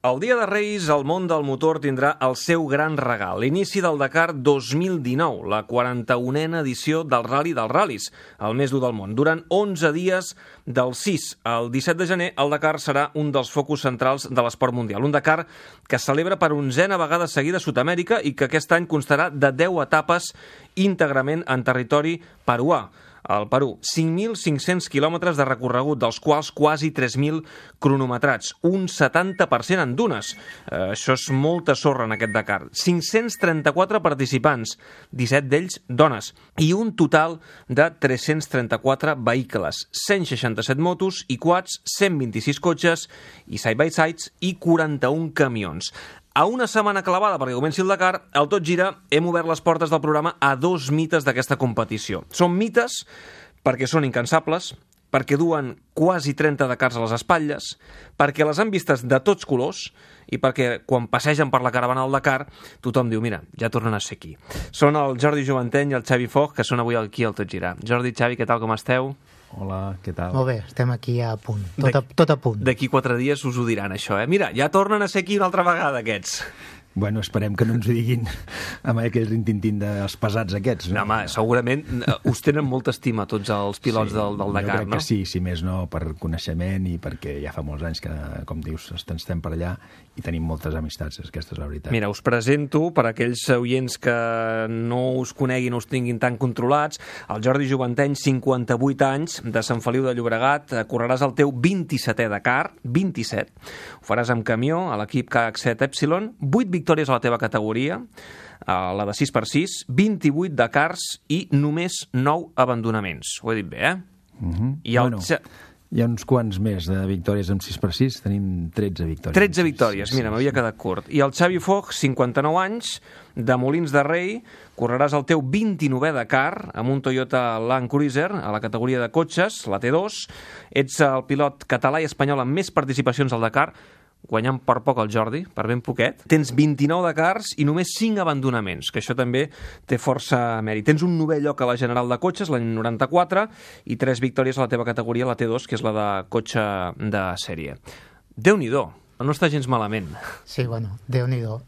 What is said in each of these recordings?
El dia de Reis, el món del motor tindrà el seu gran regal. L'inici del Dakar 2019, la 41a edició del Rally dels Ral·lis, el més dur del món. Durant 11 dies, del 6 al 17 de gener, el Dakar serà un dels focus centrals de l'esport mundial. Un Dakar que es celebra per 11a vegada seguida a Sud-amèrica i que aquest any constarà de 10 etapes íntegrament en territori peruà. Al Perú, 5.500 quilòmetres de recorregut, dels quals quasi 3.000 cronometrats, un 70% en dunes. Això és molta sorra en aquest Dakar. 534 participants, 17 d'ells dones, i un total de 334 vehicles, 167 motos i quads, 126 cotxes i side-by-sides i 41 camions. A una setmana clavada perquè comenci el Dakar, al Tot Gira hem obert les portes del programa a 2 mites d'aquesta competició. Són mites perquè són incansables, perquè duen quasi 30 Dakars a les espatlles, perquè les han vistes de tots colors i perquè quan passegen per la caravana del Dakar tothom diu, mira, ja tornen a ser aquí. Són el Jordi Jovanteny i el Xavi Foch, que són avui aquí al Tot Gira. Jordi, Xavi, què tal, com esteu? Hola, què tal? Molt bé, estem aquí a punt, tot a punt. D'aquí 4 dies us ho diran, això, eh? Mira, ja tornen a ser aquí una altra vegada, aquests. Bueno, esperem que no ens ho diguin amb aquell rintintín dels pesats aquests. No, home, segurament us tenen molta estima tots els pilots del Dakar, no? Jo crec que sí, si més no, per coneixement i perquè ja fa molts anys que, com dius, estem per allà i tenim moltes amistats, aquesta és la veritat. Mira, us presento, per aquells oients que no us coneguin o us tinguin tan controlats, el Jordi Jovanteny, 58 anys, de Sant Feliu de Llobregat, correràs el teu 27è Dakar, 27, ho faràs amb camió, a l'equip KH7 Epsilon, 8 victòries a la teva categoria, la de 6x6, 28 Dakars i només 9 abandonaments. Ho he dit bé, eh? I bueno, hi ha uns quants més de victòries amb 6x6, tenim 13 victòries. 13 victòries, mira, m'havia quedat curt. I el Xavi Foch, 59 anys, de Molins de Rei, correràs el teu 29è Dakar amb un Toyota Land Cruiser a la categoria de cotxes, la T2. Ets el pilot català i espanyol amb més participacions al Dakar, guanyant per poc el Jordi, per ben poquet. Tens 29 Dakars i només 5 abandonaments, que això també té força mèrit. Tens un 9è lloc a la General de Cotxes, l'any 94, i 3 victòries a la teva categoria, la T2, que és la de cotxe de sèrie. Déu-n'hi-do, no està gens malament. Sí, bueno, Déu-n'hi-do.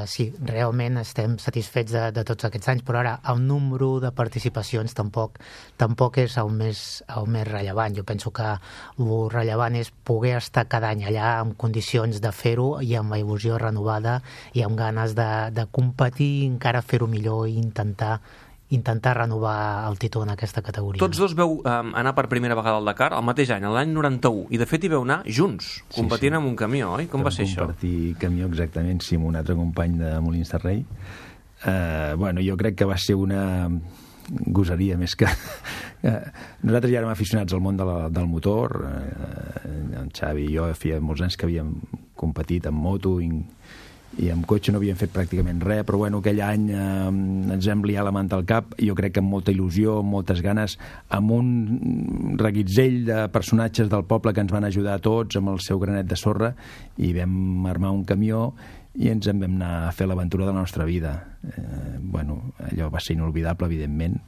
Sí, realment estem satisfets de tots aquests anys, però ara el número de participacions tampoc és el més rellevant. Jo penso que el rellevant és poder estar cada any allà en condicions de fer-ho i amb la il·lusió renovada i amb ganes de competir, encara fer-ho millor i intentar renovar el títol en aquesta categoria. Tots dos veu anar per primera vegada al Dakar el mateix any, l'any 91, i de fet hi veu anar junts, competint amb un camió, oi? Com va ser això? Compartir camió, exactament, sí, amb un altre company de Molins de Rei. Bueno, jo crec que va ser una gosaria més que... Nosaltres ja érem aficionats al món del motor, en Xavi i jo feia molts anys que havíem competit en moto i amb cotxe no havíem fet pràcticament res, però bueno, aquell any ens vam liar la manta al cap, jo crec que amb molta il·lusió, amb moltes ganes, amb un reguitzell de personatges del poble que ens van ajudar a tots amb el seu granet de sorra, i vam armar un camió i ens en vam anar a fer l'aventura de la nostra vida. Bueno, allò va ser inolvidable, evidentment.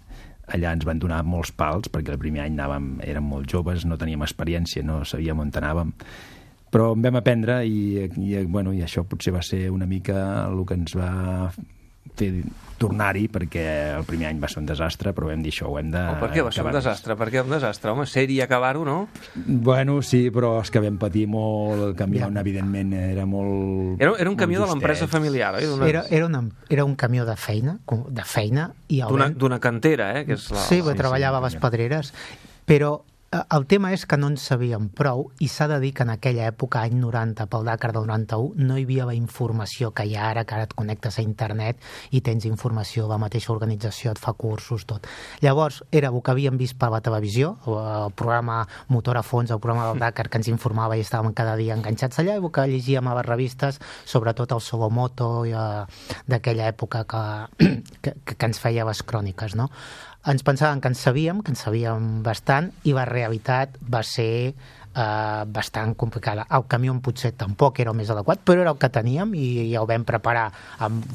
Allà ens van donar molts pals, perquè el primer any érem molt joves, no teníem experiència, no sabíem on anàvem, però en vam aprendre i això potser va ser una mica el que ens va fer tornar-hi, perquè el primer any va ser un desastre, però vam dir això, ho hem de... Per què va ser un desastre? Per què un desastre? Home, ser-hi i acabar-ho, no? Bueno, sí, però és que vam patir molt, el camió, evidentment, era molt... Era un camió de l'empresa familiar, oi? Era un camió de feina i d'una cantera, eh? Que és sí, treballava a les Pedreres, però el tema és que no en sabíem prou, i s'ha de dir que en aquella època, any 90, pel Dakar del 91, no hi havia la informació que hi ha ara, que ara et connectes a internet i tens informació, la mateixa organització et fa cursos, tot. Llavors, era el que havíem vist per la televisió, el programa Motor a Fons, el programa del Dakar que ens informava i estàvem cada dia enganxats allà, i el que llegíem a les revistes, sobretot el Solomoto d'aquella època que ens feia les cròniques, no? Ens pensàvem que en sabíem bastant, i la realitat va ser bastant complicada. El camió potser tampoc era el més adequat, però era el que teníem i ja ho vam preparar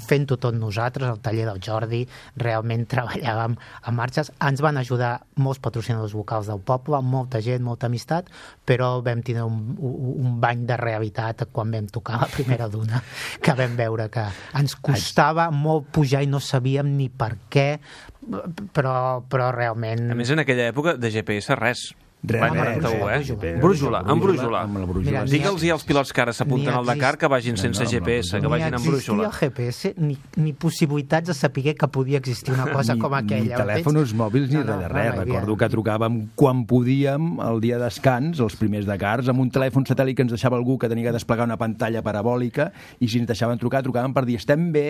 fent-ho tot nosaltres, al taller del Jordi, realment treballàvem a marxes. Ens van ajudar molts patrocinadors locals del poble, molta gent, molta amistat, però vam tenir un bany de realitat quan vam tocar la primera duna, que vam veure que ens costava molt pujar i no sabíem ni per què, però realment... A més, en aquella època de GPS res. Res. Brújula. Digue'ls als pilots que ara s'apunten al Dakar que vagin sense GPS, que vagin amb brújula. Ni existia GPS, ni possibilitats de saber que podia existir una cosa com aquella. Ni telèfons mòbils ni res de res. Recordo que trucàvem quan podíem el dia de descans, els primers Dakars, amb un telèfon satèl·lit que ens deixava algú que tenia que desplegar una pantalla parabòlica, i si ens deixaven trucar, trucàvem per dir estem bé,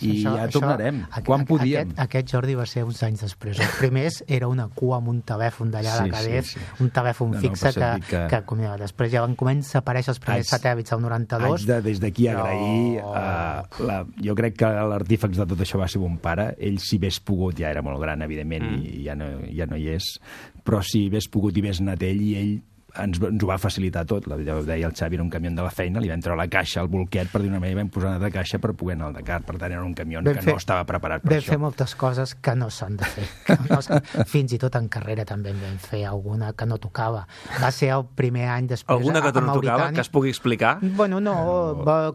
i ja tornarem, quan podíem. Aquest Jordi va ser uns anys després. Els primers era una cua amb un telèfon d'allà de Cadets, un telèfon fixe que després ja van començar a aparèixer els primers satèl·lits al 92. Haig des d'aquí agrair jo crec que l'artífex de tot això va ser mon pare. Ell, si hagués pogut, ja era molt gran, evidentment, i ja no hi és, però si hagués pogut i hagués anat ell, i ell ens ho va facilitar tot. Ho deia el Xavi, era un camió de la feina, li vam treure la caixa, el bolquet, per dir una manera, i vam posar una altra caixa per poder anar al Dakar. Per tant, era un camió que no estava preparat per això. Vam fer moltes coses que no s'han de fer. Fins i tot en carrera també en vam fer alguna que no tocava. Va ser el primer any després alguna que no tocava, que es pugui explicar? Bueno, no,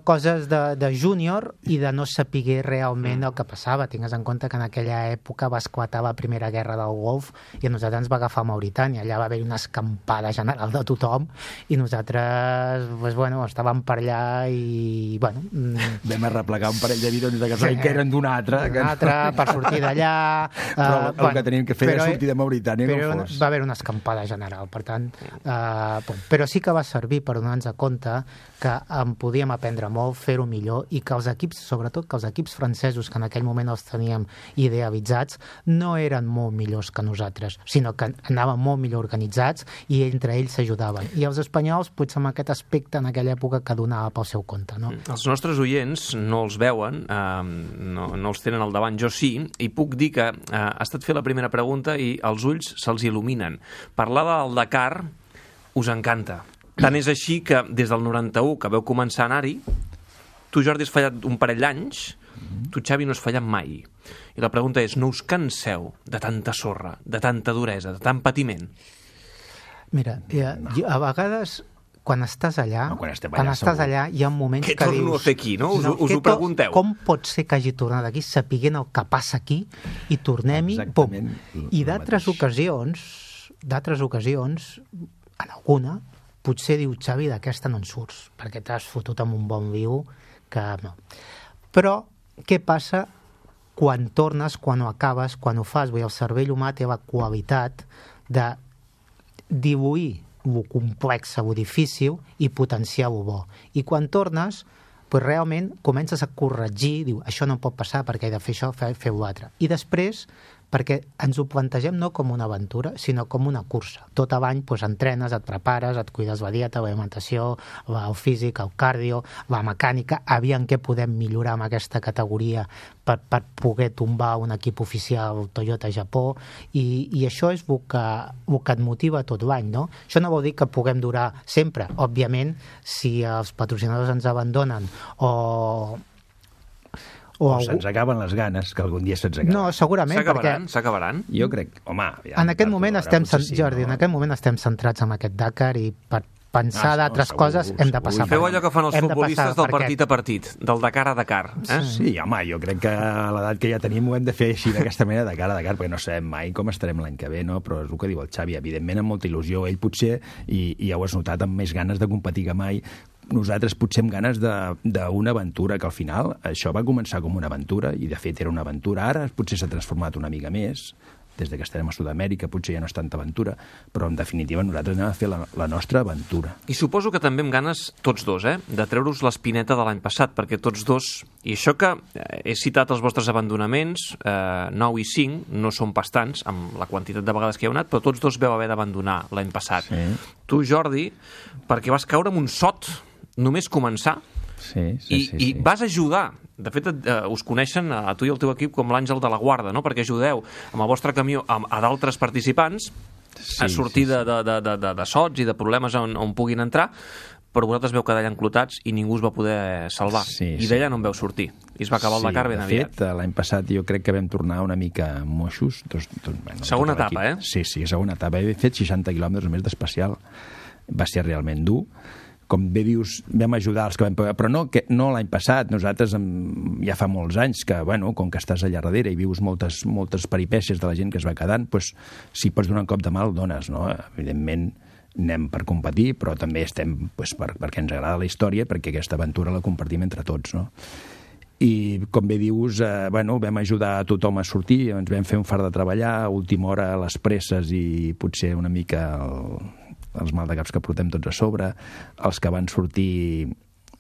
coses de júnior i de no saber realment el que passava. Tingues en compte que en aquella època va esclatar la primera guerra del Golf i a nosaltres ens va agafar Mauritània. Allà va haver una escampada general de tothom i nosaltres estàvem per allà i vam arreplegar un parell de bidons de gasoil que eren d'un altre per sortir d'allà, però el que teníem que fer era sortir de Mauritània com fos. Va haver una escampada general, per tant però sí que va servir per donar-nos compte que en podíem aprendre molt, fer-ho millor, i que els equips, sobretot que els equips francesos que en aquell moment els teníem idealitzats, no eren molt millors que nosaltres, sinó que anaven molt millor organitzats i entre ells s'ajudaven. I els espanyols, potser amb aquest aspecte en aquella època que donava pel seu compte, no? Els nostres oients no els veuen, no els tenen al davant, jo sí, i puc dir que ha estat fer la primera pregunta i els ulls se'ls il·luminen. Parlar del Dakar us encanta. Tant és així que des del 91, que vau començar a anar-hi, tu, Jordi, has fallat un parell d'anys, tu, Xavi, no has fallat mai. I la pregunta és, no us canseu de tanta sorra, de tanta duresa, de tant patiment? Mira, a vegades, quan estàs allà, hi ha moments que dius... Què torno a fer aquí, no? Us ho pregunteu. Com pot ser que hagi tornat aquí sapiguent el que passa aquí i tornem-hi, pum. I d'altres ocasions, en alguna, potser diu, Xavi, d'aquesta no en surts, perquè t'has fotut amb un bon viu que no. Però què passa quan tornes, quan ho acabes, quan ho fas? Vull dir, el cervell humà té la qualitat de dibuir lo complex o difícil i potenciar-ho bo. I quan tornes, realment comences a corregir, diu, això no pot passar perquè he de fer això, fer-ho altre. I després, perquè ens ho plantegem no com una aventura, sinó com una cursa. Tot l'any entrenes, et prepares, et cuides la dieta, l'alimentació, el físic, el cardio, la mecànica, aviam què podem millorar amb aquesta categoria per poder tombar un equip oficial Toyota Japó, i això és el que et motiva tot l'any, no? Això no vol dir que puguem durar sempre. Òbviament, si els patrocinadors ens abandonen o se'ns acaben les ganes, que algun dia se'ns acaben. No, segurament, S'acabaran? Jo crec, home... En aquest moment estem centrats en aquest Dakar i per pensar d'altres coses hem de passar. Feu allò que fan els futbolistes del partit a partit, del Dakar a Dakar. Sí, home, jo crec que a l'edat que ja tenim ho hem de fer així, d'aquesta manera, Dakar a Dakar, perquè no sabem mai com estarem l'any que ve, no? Però és el que diu el Xavi, evidentment amb molta il·lusió, ell potser, i ja ho has notat, amb més ganes de competir que mai. Nosaltres potser amb ganes d'una aventura, que al final això va començar com una aventura, i de fet era una aventura. Ara potser s'ha transformat una mica més, des que estarem a Sud-amèrica, potser ja no és tanta aventura, però en definitiva nosaltres anem a fer la nostra aventura. I suposo que també amb ganes, tots dos, de treure-us l'espineta de l'any passat, perquè tots dos, i això que he citat els vostres abandonaments, 9 i 5, no són bastants, amb la quantitat de vegades que hi heu anat, però tots dos veu haver d'abandonar l'any passat. Sí. Tu, Jordi, perquè vas caure en un sot, només començar, i vas ajudar. De fet, us coneixen a tu i el teu equip com l'àngel de la guarda, no? Perquè ajudeu amb el vostre camió a d'altres participants a sortir de sots i de problemes on puguin entrar, però vosaltres veu quedar allà enclotats i ningú es va poder salvar. I d'ella no en veu sortir. I es va acabar el Dakar ben aviat. De fet, l'any passat jo crec que vam tornar una mica moixos. Segona etapa, eh? Sí, segona etapa. He fet 60 quilòmetres més d'especial. Va ser realment dur. Com bé dius, vam ajudar els que vam poder... Però no l'any passat. Nosaltres ja fa molts anys que, bueno, com que estàs allà darrere i vius moltes peripècies de la gent que es va quedant, doncs, si pots donar un cop de mà, el dones, no? Evidentment, anem per competir, però també estem perquè ens agrada la història, perquè aquesta aventura la compartim entre tots, no? I, com bé dius, vam ajudar a tothom a sortir, ens vam fer un fart de treballar, a última hora a les presses i potser una mica els maldecaps que portem tots a sobre, els que van sortir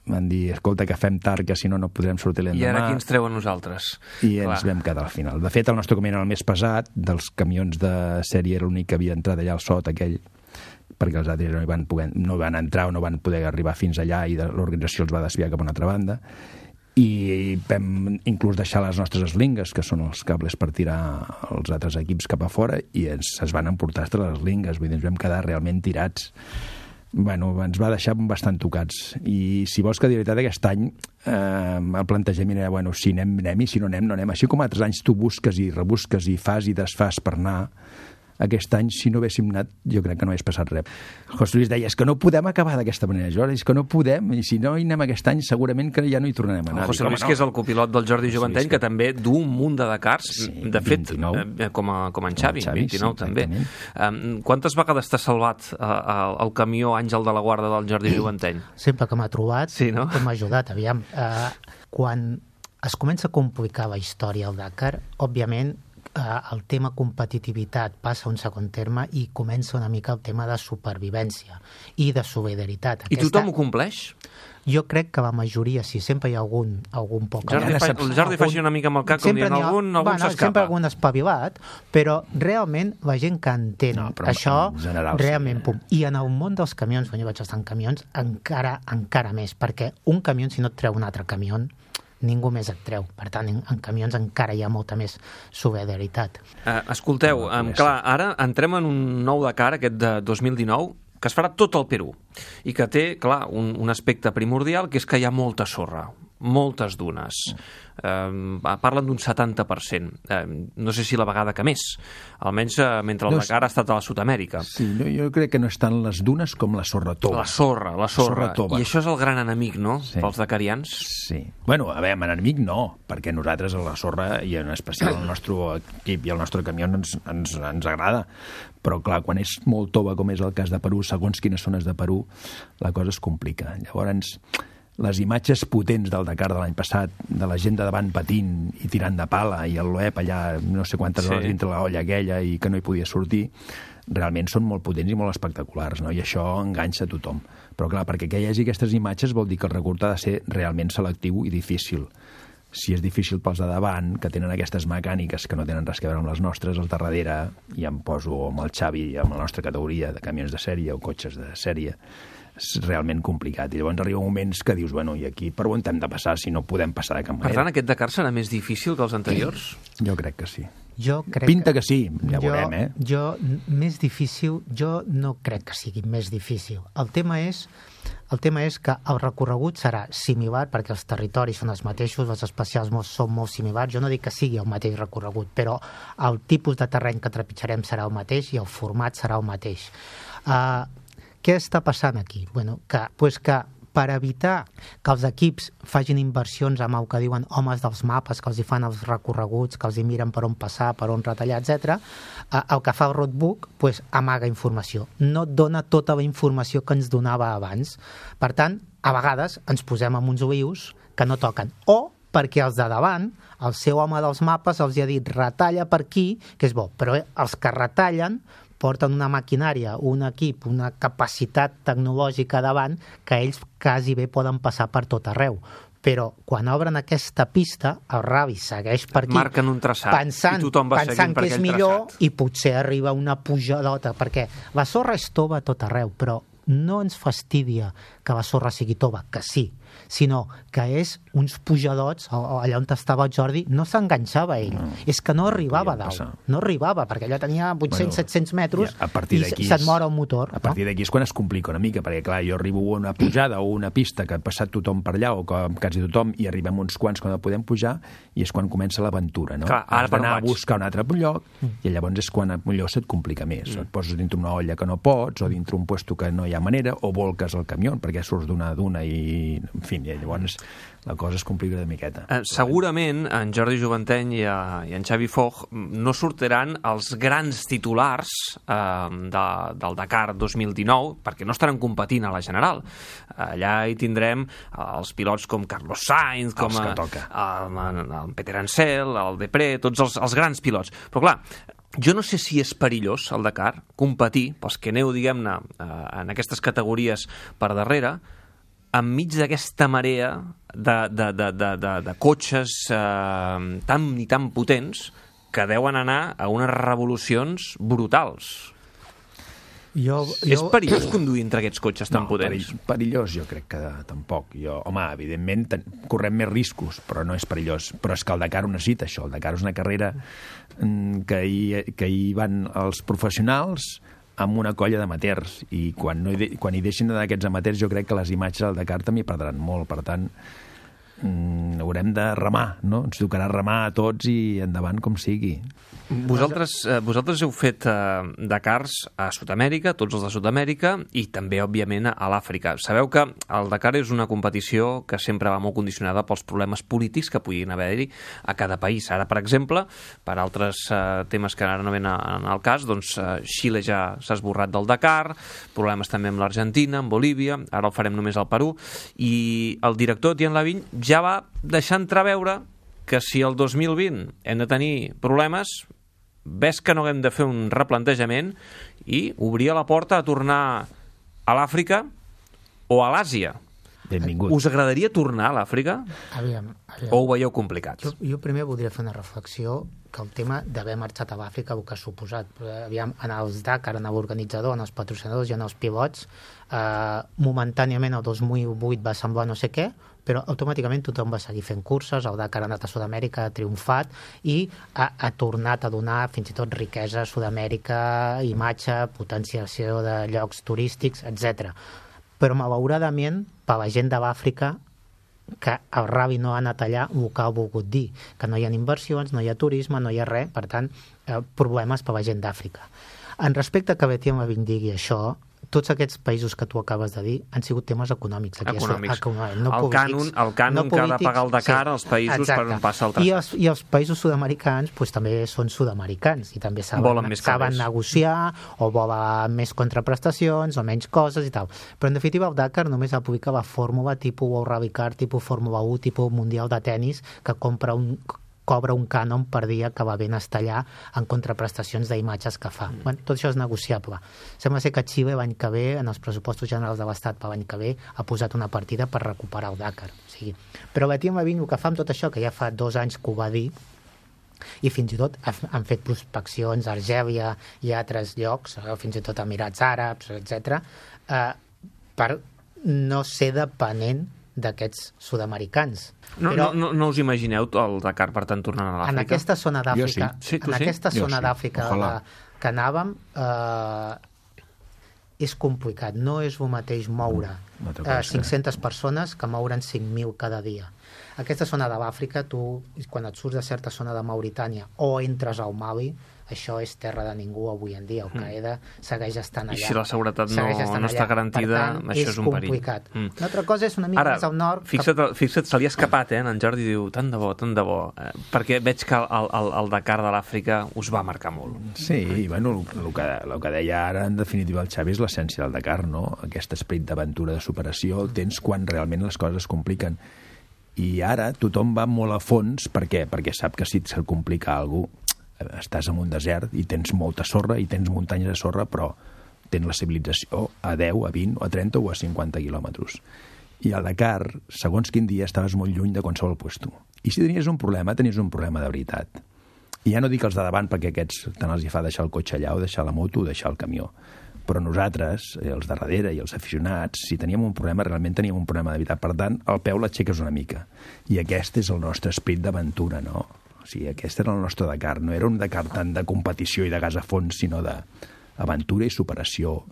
van dir, escolta, que fem tard, que si no podrem sortir l'endemà. I ara qui ens treu a nosaltres? I ens vam quedar al final. De fet, el nostre camió era el més pesat, dels camions de sèrie era l'únic que havia entrat allà al sot aquell, perquè els altres no van entrar o no van poder arribar fins allà i l'organització els va desviar cap a una altra banda. I vam inclús deixar les nostres eslingues, que són els cables per tirar els altres equips cap a fora, i es van emportar les eslingues, vull dir, ens vam quedar realment tirats. Bueno, ens va deixar bastant tocats. I si vols que de veritat aquest any el plantejament era, bueno, si anem i si no anem, no anem. Així com altres anys tu busques i rebusques i fas i desfas per anar, aquest any, si no haguéssim anat, jo crec que no hagués passat res. El José Luis deia, és que no podem acabar d'aquesta manera, Jordi, és que no podem, i si no hi anem aquest any, segurament que ja no hi tornarem a anar. El José Luis, que és el copilot del Jordi Joventeny, que també du un munt de Dakars, de fet, com en Xavi, 29 també. Quantes vegades t'ha salvat el camió Àngel de la Guarda del Jordi Joventeny? Sempre que m'ha trobat, que m'ha ajudat, aviam. Quan es comença a complicar la història al Dakar, òbviament, el tema competitivitat passa a un segon terme i comença una mica el tema de supervivència i de solidaritat. I tothom ho compleix? Jo crec que la majoria, sí, sempre hi ha algun poc... El Jordi faci una mica amb el cap, com dient, algun s'escapa. Sempre algun espavilat, però realment la gent que entén això, realment, pum. I en el món dels camions, quan jo vaig estar en camions, encara més, perquè un camió, si no et treu un altre camió, ningú més et treu. Per tant, en camions encara hi ha molta més solidaritat. Escolteu, clar, ara entrem en un nou Dakar, aquest de 2019, que es farà tot el Perú, i que té, clar, un aspecte primordial, que és que hi ha molta sorra, moltes dunes. Parlen d'un 70%. No sé si la vegada que més. Almenys mentre el Dakar ha estat a la Sud-amèrica. Sí, jo crec que no és tant les dunes com la sorra tova. La sorra. I això és el gran enemic, no?, pels dakarians. Sí. Bueno, a veure, enemic no, perquè nosaltres a la sorra, i en especial el nostre equip i el nostre camió, ens agrada. Però, clar, quan és molt tova, com és el cas de Perú, segons quines zones de Perú, la cosa es complica. Llavors, les imatges potents del Dakar de l'any passat, de la gent de davant patint i tirant de pala, i el Loeb allà no sé quantes hores dintre la olla aquella i que no hi podia sortir, realment són molt potents i molt espectaculars, no? I això enganxa a tothom. Però clar, perquè hi hagi aquestes imatges vol dir que el recurt ha de ser realment selectiu i difícil. Si és difícil pels de davant, que tenen aquestes mecàniques que no tenen res a veure amb les nostres, els de darrere, i em poso amb el Xavi, amb la nostra categoria de camions de sèrie o cotxes de sèrie, és realment complicat. I llavors arriba moments que dius, bueno, i aquí per on hem de passar si no podem passar de cap manera? Per tant, aquest Dakar serà més difícil que els anteriors? Jo crec que sí. Pinta que sí, ja veurem, més difícil, jo no crec que sigui més difícil. El tema és que el recorregut serà similar, perquè els territoris són els mateixos, els especials són molt similars. Jo no dic que sigui el mateix recorregut, però el tipus de terreny que trepitjarem serà el mateix i el format serà el mateix. Què està passant aquí? Que per evitar que els equips facin inversions amb el que diuen homes dels mapes, que els hi fan els recorreguts, que els hi miren per on passar, per on retallar, etc., el que fa el roadbook amaga informació. No et dona tota la informació que ens donava abans. Per tant, a vegades ens posem amb uns olius que no toquen. O perquè els de davant, el seu home dels mapes els ha dit retalla per aquí, que és bo, però els que retallen porten una maquinària, un equip, una capacitat tecnològica davant que ells quasi bé poden passar per tot arreu. Però quan obren aquesta pista, el Ravi segueix per aquí, marquen un traçat, pensant que és millor traçat. I potser arriba una pujadota, perquè la sorra és tova a tot arreu, però no ens fastidia que la sorra sigui tova, que sí, sinó que és uns pujadots, allà on estava el Jordi, no s'enganxava ell, és que no arribava a dalt, no arribava, perquè allò tenia 800-700 metres i se't mor el motor. A partir d'aquí és quan es complica una mica, perquè clar, jo arribo a una pujada o una pista que ha passat tothom per allà, o quasi tothom, i arribem uns quants quan podem pujar, i és quan comença l'aventura, no? Clar, has d'anar a buscar un altre lloc, i llavors és quan millor se't complica més. Et poses dintre una olla que no pots, o dintre un puesto que no hi ha manera, o volques el camió perquè surts d'una duna i, en fi, llavors la cosa es complica de miqueta. Segurament en Jordi Juvanteny i en Xavi Foch no sortiran els grans titulars del Dakar 2019 perquè no estaran competint a la General. Allà hi tindrem els pilots com Carlos Sainz, com el Peter Ansel, el Depré, tots els grans pilots. Però clar, jo no sé si és perillós el Dakar competir, pels que aneu, diguem-ne, en aquestes categories per darrere, enmig d'aquesta marea de cotxes tan potents que deuen anar a unes revolucions brutals. És perillós conduir entre aquests cotxes tan potents? Perillós jo crec que tampoc. Home, evidentment correm més riscos, però no és perillós. Però és que el Dakar ho necessita, això. El Dakar és una carrera que hi van els professionals amb una colla d'amateurs, i quan hi deixin d'anar aquests amateurs jo crec que les imatges del Dakar també perdran molt. Per tant, haurem de remar, no? Ens tocarà remar a tots i endavant com sigui. Vosaltres heu fet Dakars a Sud-amèrica, tots els de Sud-amèrica, i també, òbviament, a l'Àfrica. Sabeu que el Dakar és una competició que sempre va molt condicionada pels problemes polítics que puguin haver-hi a cada país. Ara, per exemple, per altres temes que ara no ven al cas, doncs Xile ja s'ha esborrat del Dakar, problemes també amb l'Argentina, amb Bolívia, ara el farem només al Perú, i el director Etienne Lavigne ja va deixar entreveure que si el 2020 hem de tenir problemes, ves que no haguem de fer un replantejament i obrir la porta a tornar a l'Àfrica o a l'Àsia. Benvingut. Us agradaria tornar a l'Àfrica? Aviam. O ho veieu complicat? Jo primer voldria fer una reflexió que el tema d'haver marxat a l'Àfrica, el que ha suposat. Aviam, en els Dakar, en l'organitzador, en els patrocinadors i en els pilots, momentàniament el 2008 va semblar no sé què, però automàticament tothom va seguir fent curses, el Dakar ha anat a Sud-amèrica, ha triomfat i ha tornat a donar fins i tot riquesa a Sud-amèrica, imatge, potenciació de llocs turístics, etc. Però malauradament, per la gent de l'Àfrica, que el Rally no ha anat allà, el que ha volgut dir, que no hi ha inversions, no hi ha turisme, no hi ha res, per tant, problemes per la gent d'Àfrica. En respecte a que Etienne Lavigne digui això, tots aquests països que tu acabes de dir han sigut temes econòmics. No el cànon que ha de pagar el Dakar als països per on passa el tractat. I els països sud-americans també són sud-americans i també saben negociar o volen més contraprestacions o menys coses i tal. Però en definitiva el Dakar només aplica la fórmula tipus World Rally Car, tipus Fórmula 1, tipus Mundial de Tenis, que cobra un cànon per dia que va ben estar allà en contraprestacions d'imatges que fa. Tot això és negociable. Sembla ser que Xile l'any que ve, en els pressupostos generals de l'Estat per l'any que ve, ha posat una partida per recuperar el Dakar. Però Etienne Lavigne el que fa amb tot això, que ja fa 2 anys que ho va dir, i fins i tot han fet prospeccions a Argèlia i a altres llocs, fins i tot a Emirats Àrabs, etc., per no ser depenent d'aquests sud-americans. No us imagineu el Dakar, per tant, tornant a l'Àfrica? En aquesta zona d'Àfrica, que anàvem, és complicat. No és el mateix moure 500 persones que moure'n 5.000 cada dia. Aquesta zona de l'Àfrica, tu, quan et surts de certa zona de Mauritània o entres al Mali, això és terra de ningú avui en dia. Al-Qaeda segueix estant allà. I si la seguretat no està garantida, això és un perill. Complicat. Una altra cosa és una mica més al nord... Fixa't, se li ha escapat, en Jordi diu, tant de bo, perquè veig que el Dakar de l'Àfrica us va marcar molt. Sí, bueno, el que deia ara, en definitiva, el Xavi és l'essència del Dakar, no? Aquest esperit d'aventura, de superació, el tens quan realment les coses es compliquen. I ara tothom va molt a fons, per què? Perquè sap que si se'l complica alguna cosa, estàs en un desert i tens molta sorra i tens muntanyes de sorra, però tens la civilització a 10, a 20, a 30 o a 50 quilòmetres. I al Dakar, segons quin dia, estaves molt lluny de qualsevol puesto. I si tenies un problema de veritat. I ja no dic els de davant, perquè aquests tant els hi fa deixar el cotxe allà o deixar la moto o deixar el camió. Però nosaltres, els de darrere i els aficionats, si teníem un problema, realment teníem un problema de veritat. Per tant, el peu l'aixeques una mica. I aquest és el nostre esperit d'aventura, no? O sigui, aquest era el nostre Dakar. No era un Dakar tant de competició i de gas a fons, sinó d'aventura i superació.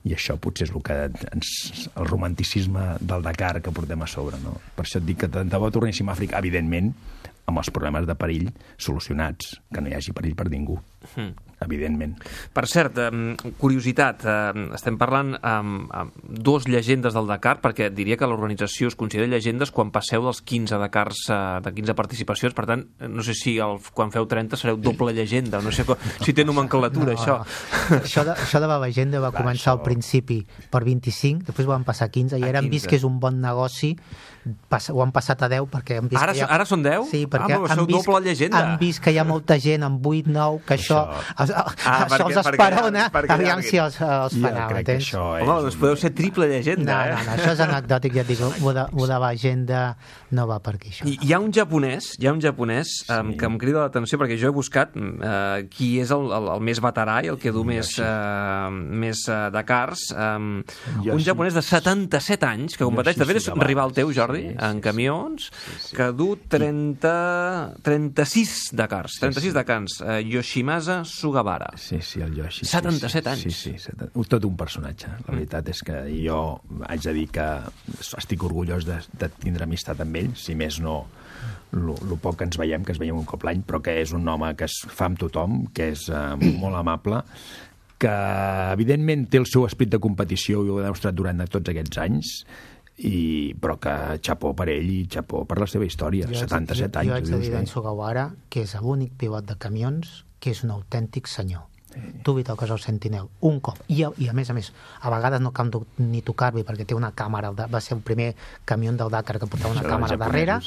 I això potser és el que el romanticisme del Dakar que portem a sobre, no? Per això et dic que tant de bo tornéssim a Àfrica, evidentment, amb els problemes de perill solucionats, que no hi hagi perill per ningú, evidentment. Per cert, curiositat, estem parlant amb dues llegendes del Dakar, perquè diria que l'organització es considera llegendes quan passeu dels 15 Dakars, de 15 participacions, per tant, no sé si quan feu 30 sereu doble llegenda, no sé si té nomenclatura, això. Això de la llegenda va començar al principi per 25, després van passar 15, i ara han vist que és un bon negoci, ho han passat a 10 perquè han vist ara són 10? Sí, perquè han vist que hi ha molta gent amb 8, 9, que això els esperona, aviam si els farà, m'entens? Home, doncs podeu ser triple llegenda, No, això és anecdòtic, ja et dic, ho de l'agenda no va per aquí, això. Hi ha un japonès que em crida l'atenció, perquè jo he buscat qui és el més veterà i el que du més Dakars, un japonès de 77 anys que competeix, de fet és rival teu, Jordi, en camions, que du 36 Dakars, Yoshimasa Sugawara. Sí, el Yoshi. 77 anys. Sí, tot un personatge. La veritat és que jo haig de dir que estic orgullós de tindre amistat amb ell, si més no el poc que ens veiem un cop l'any, però que és un home que es fa amb tothom, que és molt amable, que evidentment té el seu esperit de competició i ho ha demostrat durant tots aquests anys, però que xapó per ell i xapó per la seva història. 77 anys. Jo haig de dir d'en Sugawara que és l'únic pilot de camions que és un autèntic senyor. Tu li toques el sentinel un cop, i a més, a vegades no cal ni tocar-li perquè té una càmera, va ser el primer camió del Dakar que portava una càmera darrere,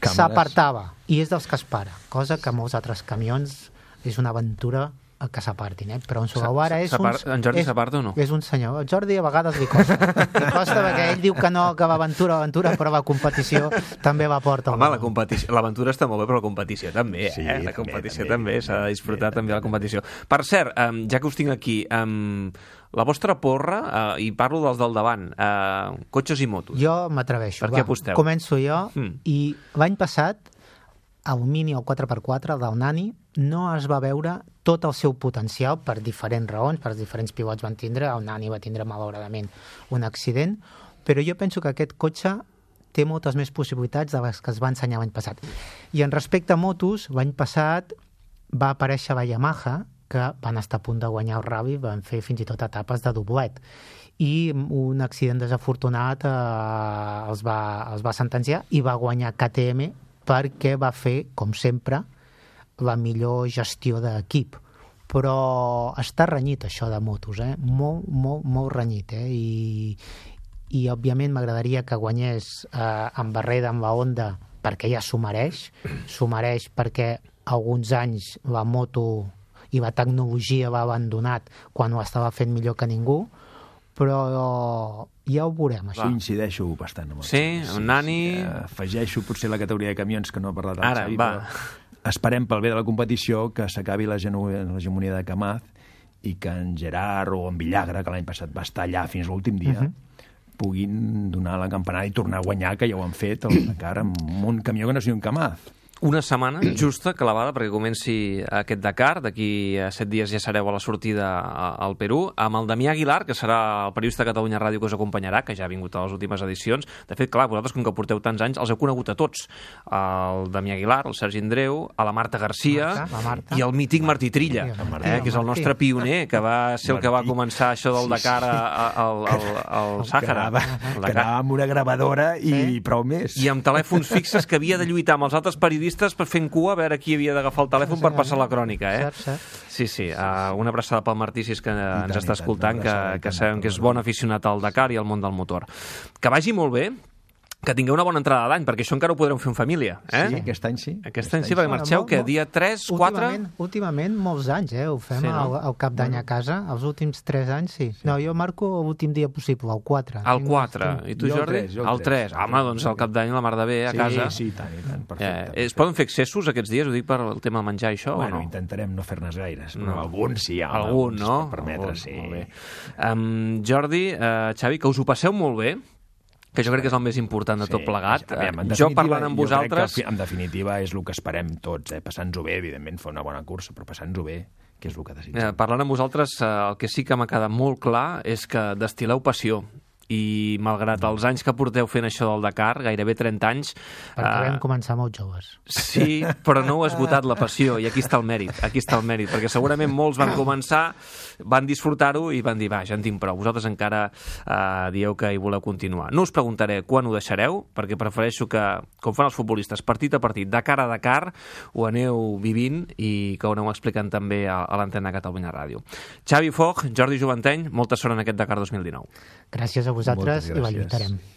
s'apartava, i és dels que es para, cosa que molts altres camions és una aventura que s'apartin, però en Sugawara és un... En Jordi s'aparta o no? És un senyor. El Jordi a vegades li costa. Li costa perquè ell diu que no, que l'aventura, però la competició també la porta. Home, l'aventura està molt bé, però la competició també, eh? Sí, la competició també, s'ha de disfrutar també la competició. Per cert, ja que us tinc aquí, la vostra porra, i parlo dels del davant, cotxes i motos. Jo m'atreveixo. Per què aposteu? Començo jo, i l'any passat, el Mini, el 4x4, el del Nani, no es va veure tot el seu potencial per diferents raons, per diferents pilots van tindre, el Nani va tindre malauradament un accident, però jo penso que aquest cotxe té moltes més possibilitats de les que es va ensenyar l'any passat. I en respecte a motos, l'any passat va aparèixer la Yamaha, que van estar a punt de guanyar el rally, van fer fins i tot etapes de doblet. I un accident desafortunat els va sentenciar i va guanyar KTM perquè va fer, com sempre, la millor gestió d'equip. Però està renyit, això de motos, molt renyit, I òbviament m'agradaria que guanyés en Barreda, amb la Honda, perquè ja s'ho mereix perquè alguns anys la moto i la tecnologia l'ha abandonat quan ho estava fent millor que ningú, però ja ho veurem, això. Incideixo bastant amb el amb Nani... Afegeixo potser la categoria de camions, que no ha parlat el Xavi, però esperem pel bé de la competició que s'acabi l'hegemonia de Camaz i que en Gerard o en Villagra, que l'any passat va estar allà fins a l'últim dia, puguin donar la campanada i tornar a guanyar, que ja ho han fet el Dakar amb un camió que no sigui un Camaz. Una setmana justa, clavada, perquè comenci aquest Dakar. D'aquí a 7 dies ja sereu a la sortida al Perú, amb el Damià Aguilar, que serà el periodista de Catalunya Ràdio que us acompanyarà, que ja ha vingut a les últimes edicions. De fet, clar, vosaltres, com que porteu tants anys, els heu conegut a tots. El Damià Aguilar, el Sergi Andreu, a la Marta Garcia i el mític Martí Trilla, que és el nostre pioner, que va ser el que va començar això del Dakar al Sàhara. Que anava amb una gravadora i prou més. I amb telèfons fixes, que havia de lluitar amb els altres periodistes per fent cua a veure qui havia d'agafar el telèfon per passar la crònica, Sí, una abraçada pel Martí, si és que ens està escoltant, que sabem que és bon aficionat al Dakar i al món del motor. Que vagi molt bé, que tingueu una bona entrada d'any, perquè això encara ho podreu fer en família. Sí, aquest any sí. Aquest any sí, perquè marxeu, que dia 3, 4... Últimament molts anys, ho fem al cap d'any a casa, els últims 3 anys sí. No, jo marco l'últim dia possible, el 4. El 4, i tu, Jordi? El 3. Home, doncs al cap d'any la mar de bé a casa. Sí, i tant, perfecte. Es poden fer excessos aquests dies, ho dic per el tema menjar i això, o no? Bueno, intentarem no fer-ne gaires, però algun sí hi ha. Algun, no? Per permetre, sí. Jordi, Xavi, que us ho passeu molt bé, que jo crec que és el més important de tot plegat. Jo parlant amb vosaltres... Jo crec que en definitiva és el que esperem tots, passant-nos-ho bé, evidentment, fer una bona cursa, però passant-nos-ho bé, que és el que desitgem. Parlant amb vosaltres, el que sí que m'ha quedat molt clar és que destileu passió, i malgrat els anys que porteu fent això del Dakar, gairebé 30 anys... Perquè vam començar molt joves. Sí, però no heu esgotat la passió, i aquí està el mèrit, perquè segurament molts van començar, van disfrutar-ho i van dir, va, ja en tinc prou. Vosaltres encara dieu que hi voleu continuar. No us preguntaré quan ho deixareu, perquè prefereixo que, com fan els futbolistes, partit a partit, Dakar a Dakar, ho aneu vivint i que ho aneu explicant també a l'antena Catalunya Ràdio. Xavi Foch, Jordi Juvanteny, molta sort en aquest Dakar 2019. Gràcies a vosaltres i la lluitarem.